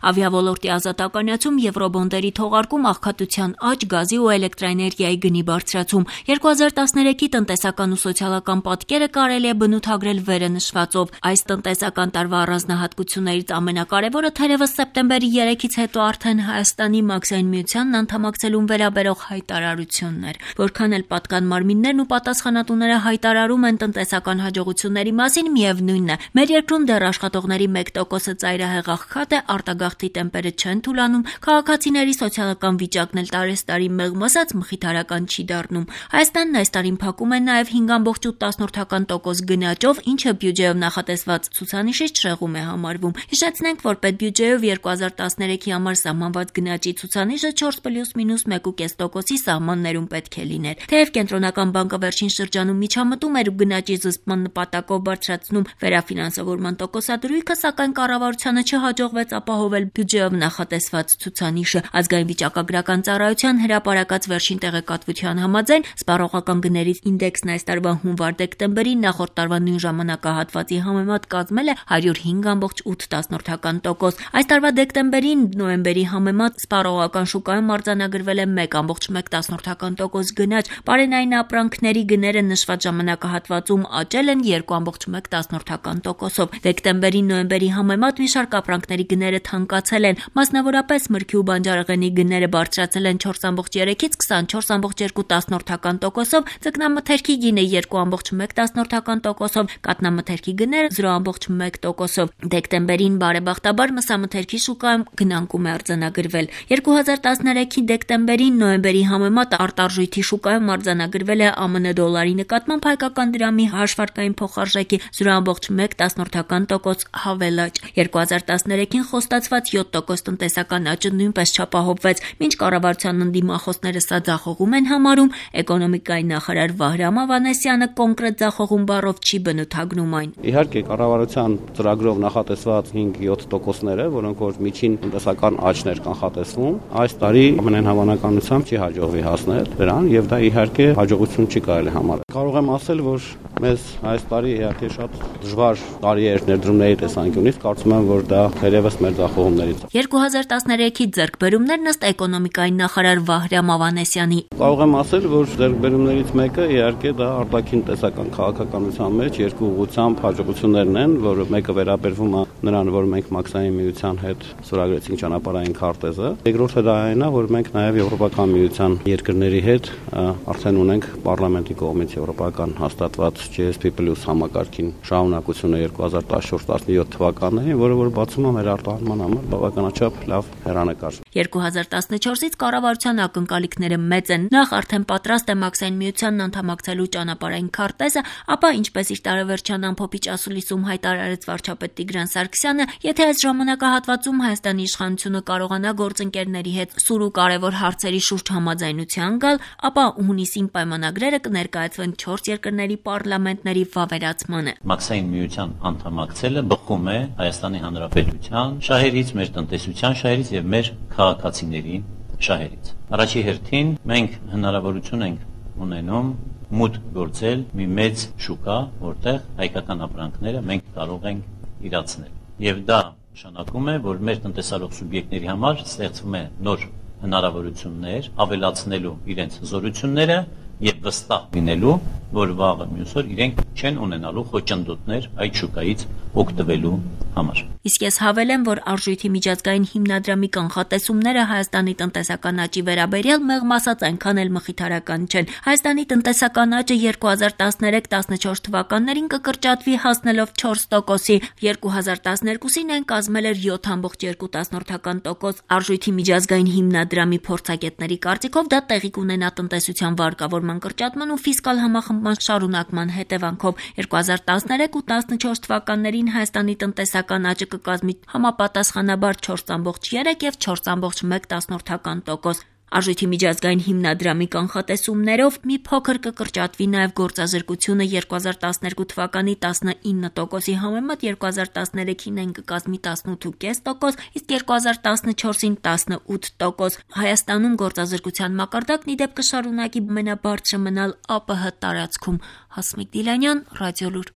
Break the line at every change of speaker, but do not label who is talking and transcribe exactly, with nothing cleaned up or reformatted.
Ավիավոլորտի ազատականացում, եվրոբոնդերի թողարկում, աղքատության աճ, գազի ու էլեկտրաէներգիայի գնի բարձրացում։ երկու հազար տասներեքի տնտեսական ու սոցիալական պատկերը կարելի է բնութագրել վերը նշվածով։ Այս տնտեսական տարվա առանձնահատկություններից ամենակարևորը թերևս սեպտեմբերի երեքից հետո արդեն Հայաստանի Մաքսային միությանն անդամակցելուն վերաբերող հայտարարությունն էր։ Որքան էլ պատկան մարմիններն ու պատասխանատուները հայտարարում են տնտեսական հաջողությունների մասին, միևնույնն է, մեր երկրում դեռ աշխատողների մեկ տոկոսը ծայրահեղ աղքատ է, արտագաղթի տեմպերը չեն թուլանում, քաղաքացիների սոցիալական վիճակն էլ տարեստարի մեղմ ասած մխիթարական չի դառնում։ Հայաստանն այս տարին փակում է նաև հինգ կoma ութ տոկոս գնաճով, ինչը բյուջեով նախատեսված ցուցանիշից շեղում է համարվում։ Հիշեցնենք, որ պետբյուջեով երկու հազար տասներեքի համար սահմանված գնաճի ցուցանիշը չորս պլյուս մինուս մեկ կoma պենս տոկոսի սահմաններում պետք է լիներ։ Թեև Կենտրոնական բանկը վերջին շրջանում միջամտում էր ու գնաճի զսպման նպատակով բարձրացնում վերաֆինանսավորման տոկոսադրույքը, սակայն կառավարությանը չհաջողվեց ապահովել բյուջեով նախատեսված ցուցանիշը։ Ազգային վիճակագրական ծառայության հրապարակած վերջին տեղեկատվության համաձայն սպառողական գներից ինդեքսն այս տարվա հունվար-դեկտեմբերին նախորդ տարվա նույն ժամանակահատվածի համեմատ կազմել է հարյուր հինգ կoma ութ տոկոս։ Այս տարվա դեկտեմբերին նոյեմբերի համեմատ սպառողական շուկայում արձանագրվել է մեկ կoma մեկ տոկոս գնաճ։ Պարենային ապրանքների գները նշված ժամանակահատվածում աճել են երկու կoma մեկ տոկոսով։ Դեկտեմբերին նոյեմբերի համեմատ մի շարք ապրանքների գները թանկացել են, մասնավորապես մրգի ու բանջարեղենի գները բարձրացել են չորս կoma երեքից քսանչորս կoma երկու տոկոսով, ձկնամթերքի գինը երկու կoma մեկ տոկոսով, կաթնամթերքի գները զրո կoma մեկ տոկոսով։ Դեկտեմբերին բարեբախտաբար մսամթերքի շուկայում գնանկում է արձանագրվել։ երկու հազար տասներեքի դեկտեմբերին նոյեմբերի համեմատ արտարժույթի շուկայում արձանագրվել է ԱՄՆ դոլարի նկատմամբ հայկական դրամի հաշվարկային փոխարժեքի զրո կoma մեկ տոկոս հավելաճ։ երկու հազար տասներեքին խոստացված յոթ տոկոս տնտեսական աճը նույնպես չապահովվեց։ Մինչ կառավարության ընդդիմախոսները սա ձախողում են համարում, էկոնոմիկայի նախարար Վահրամ Ավանեսյանը կոնկրետ ձախողում բառով չի բնութագրում այն։
Իհարկե, կառավարության ծրագրով նախատեսված հինգ-յոթ տոկոսները, որոնք որ միջին տնտեսական աճներ կանխատեսվում, այս տարի ամենայն հավանականությամբ չի հաջողվի հասնել դրան, եւ դա իհարկե հաջողություն չի կարելի համարել։ Կարող եմ ասել, որ մեզ այս տարի իհարկե շատ դժվար տարի էր ներդրումների տեսանկյունից, կարծում եմ, որ դա թերևս մեր ձախողումներից է։
երկու հազար տասներեքի ձեռքբերումներն ըստ էկոնոմիկայի նախարար Վահրամ Ավանեսյանի։
Կարող եմ ասել, որ ձեռքբերումներից մեկը իհարկե դա արտաքին տեսական քաղաքականության մեջ երկու ուղղությամբ հաջողություններն են, որը մեկը վերաբերվում է նրան, որ մենք Մաքսային միության հետ ստորագրեցինք ճանապարհային քարտեզը։ Երկրորդը դա այն է, որ մենք նաև Եվրոպական միության երկրների հետ արդեն ունենք պարլամենտի կողմից եվրոպական հաստատված G S P Plus համակարգին շահունակությունը երկու հազար տասնչորս տասնյոթ թվականներին, որը որ բացում է մեր արտահանման համար բավականաչափ լավ հեռանկար։
երկու հազար տասնչորսից կառավարության ակնկալիքները մեծ են։ Նախ արդեն պատրաստ է Մաքսային միությանն անդամակցելու ճանապարհային քարտեզը, ապա ինչպես իր տարեվերջյան ամփոփիչ ասուլիսում հայտարարեց վարչապետ Տիգրան Սարգսյանը, եթե այս ժամանակահատվածում Հայաստանի իշխանությունը կարողանա գործընկերների հետ սուր ու կարևոր հարցերի շուրջ համաձայնության գալ, ապա հունիսին պայմանագրերը կներկայացվեն չորս երկրների պարլամենտների վավերացմանը։
Մաքսային միության անդամակցելը բխում է Հայաստանի Հանրապետության շահերից, մեր տնտեսության շահերից եւ մեր քաղաքացիների շահերից։ Առաջի հերթին մենք հնարավորություն ենք ունենում մուտք գործել մի մեծ շուկա, որտեղ հայկական ապրանքները մենք կարող ենք իրացնել։ Եվ դա նշանակում է, որ մեր տնտեսարող սուբյեկտների համար ստեղծվում է նոր հնարավորություններ ավելացնելու իրենց զորությունները եւ վստահ լինելու, որ վաղը մյուս օր իրենք չեն ունենալու խոչընդոտներ այդ շուկայից օգտվելու համար։
Իսկ ես հավելեմ, որ արժույթի միջազգային հիմնադրամի կանխատեսումները Հայաստանի տնտեսական աճի վերաբերյալ մեղմ ասած այնքան էլ մխիթարական չեն։ Հայաստանի տնտեսական աճը երկու հազար տասներեք տասնչորս թվականներին կկրճատվի հասնելով չորս տոկոսի, երկու հազար տասներկուսին այն կազմել էր յոթ կoma երկու տոկոս։ Արժույթի միջազգային հիմնադրամի փորձագետների կարծիքով դա տեղի կունենա տնտեսության վարկավորման կրճատման ու ֆիսկալ համախմբման շարունակման հետևանքով։ երկու հազար տասներեք ու տասնչորս թվականներին Հայաստանի տնտեսական աճը կկազմի համապատասխանաբար չորս կoma երեք եւ չորս կoma մեկ տոկոս։ Արժույթի միջազգային հիմնադրամի կանխատեսումներով մի փոքր կկրճատվի նաև գործազրկությունը երկու հազար տասներկու թվականի տասնինը տոկոսի համեմատ երկու հազար տասներեքին այն կկազմի տասնութ կoma պենս տոկոս, իսկ երկու հազար տասնչորսին տասնութ տոկոս։ Հայաստանում գործազրկության մակարդակն ի դեպ կշարունակի ամենաբարձրը մնալ ԱՊՀ տարածքում։ Հասմիկ Դիլանյան, Ռադիոլուր։